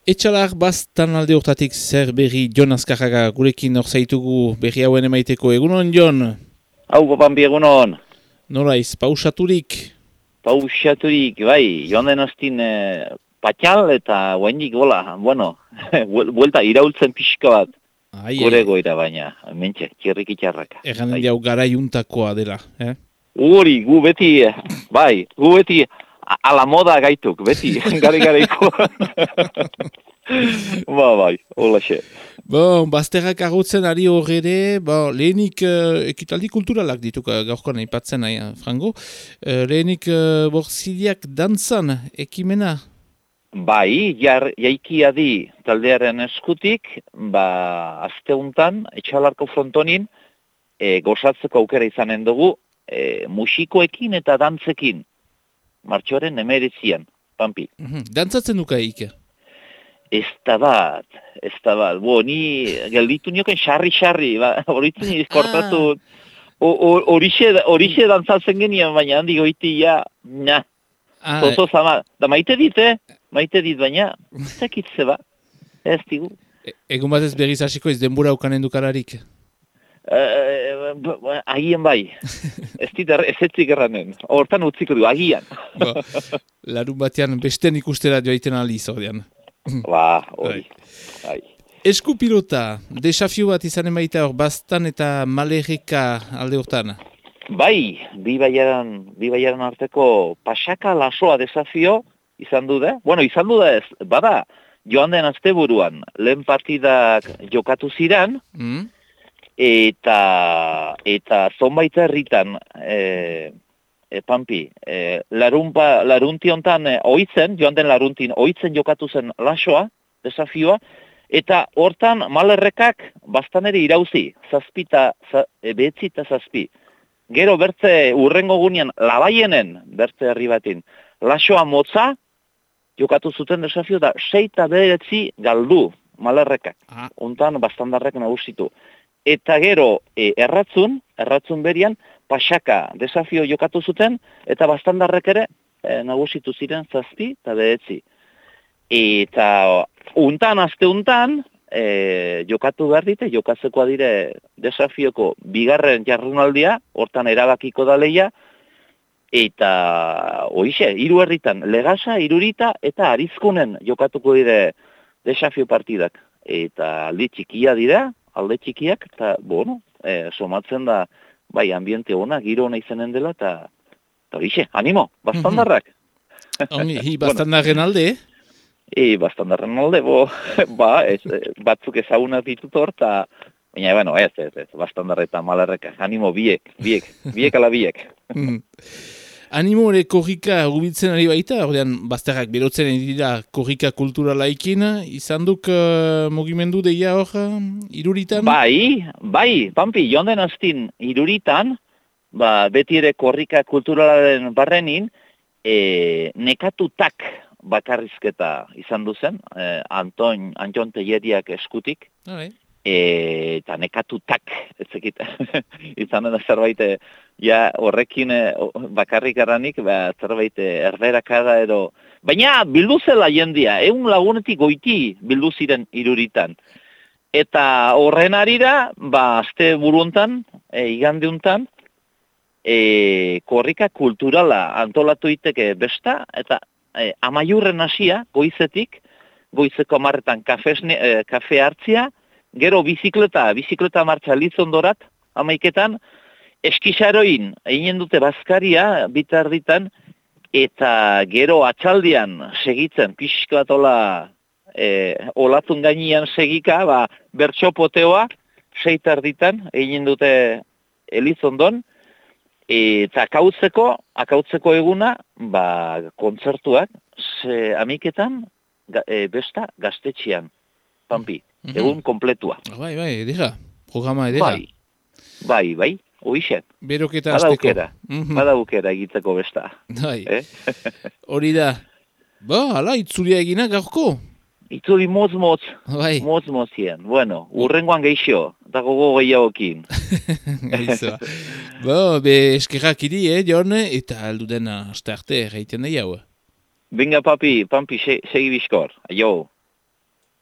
Etxalar bastan alde hortatik zer berri Jon Azkarraga gurekin hor zaitugu berri hauen emaiteko. Egunon, Jon? Hau, Pampi, egunon. Noraiz, pausaturik? Pausaturik, bai, joan den astin patxal eta guainik gola, bueno, buelta iraultzen pixka bat. Gure goira baina, mentxe, txerrik itxarraka. Eganen jau garaiuntakoa dela, Uri, gu beti, bai, gu beti ala moda gaituk, beti, garaiko. Bai, hola xe. Bon, bazterrak agutzen ari horre, lehenik ekitaldi kulturalak dituk gaurkoan aipatzen nahi, Frango. Lehenik borziliak dantzan ekimena? Bai, jaikia di taldearen eskutik, asteuntan, etxalarko frontonin, gozatzeko aukera izanen dugu, musikoekin eta dantzekin, martxoaren 19, Pampi. Dantzatzen duka eike? Ez da bat. Ni gelditu nioken xarri, horitzen izkortatu, horixe dantzatzen genien, baina handi goiti, zozo zama. Da maite dit, baina, zekitze ba, ez digu. Egun bat ez berriz hasiko ez denbora ukanen dukararik? Agien bai, ez etzik erranen, hortan utziko du, agian. Larun batean besten ikustera joaiten aliz ordean. Hori. Eskupilota, desafio bat izanen baita hor bastan eta malerreka alde hortan? Bai, bi baiaran arteko pasaka lasoa desafio izan du da. Bueno, izan du da ez, bada, joan den asteburuan lehen partidak jokatu ziran, eta zonbait herritan, Pampi, larunti hontan joan den laruntin oitzen jokatu zen lasoa, desafioa, eta hortan malerrekak bastan ere irauzi, behetzi eta zazpi. Gero bertze urrengo gunean labaienen, bertze herri batin, lasoa motza, jokatu zuten desafio da 6 eta 9 galdu malerrekak. Hontan bastandarrek nagusitu. Eta gero erratzun berian, pasaka desafio jokatu zuten, eta bastandarrek ere nagusitu ziren 7 eta 9. Eta aste untan, jokatu behar dite, jokatzekoa dire desafioko bigarren jardunaldia, hortan erabakiko da leia, eta hoixe, 3 herritan, Legasa, Irurita eta Arizkunen jokatuko dire desafio partidak. Eta alde txikiak, eta somatzen da, bai, ambiente ona, giro ona izanen dela, eta hoixe, animo, bastandarrak. Bastandarren alde, bastandarren alde, batzuk ezagunak ditut hor, baina, ez, bastandarre eta malarreka, animo biek ala biek. Animo ere korrika gubitzen ari baita, ordean bazterrak berotzen dira korrika kulturalaikin, izan duk mugimendu deia hor, Iruritan? Bai, Pampi, joan den astin Iruritan, beti ere korrika kulturalaren barrenin, nekatutak bakarrizketa izan duzen, Anton Telleriak eskutik, eta nekatutak, ez zekit, izan dena zerbait, horrekin bakarrik aranik, zerbait erberakada edo, baina bildu zela jendia, 100 lagunetik goiti bildu ziren Iruritan. Eta horren arira, aste buruontan, igandeuntan, korrika kulturala antolatu iteke besta, eta amaiurren hasia, goizeko 10 kafe hartzia, gero bizikleta martxa Lizondorat, 11 eskisaroin egin dute bazkaria, bitarditan, eta gero atxaldian segitzen, pixka bat olatun gainean segika, bertxopoteoa, 6 egin dute Elizondon, eta akautzeko eguna, kontzertuak, amiketan, besta gaztetxean, Pampi, egun kompletua. Bai, edera, programa edera. Bai, hoixen. Beroketa azteko. Bada aukera egiteko besta. Bai, hori da. Hala, itzulia egina gaurko. Itzuli motz zien. Bueno, urrengoan geixo, eta gogo gehiagokin. Gaizoa. Eskerrak iri, Jon, eta alduden aste arte, reiten da jau. Venga, Pampi, segi bizkor. Aio.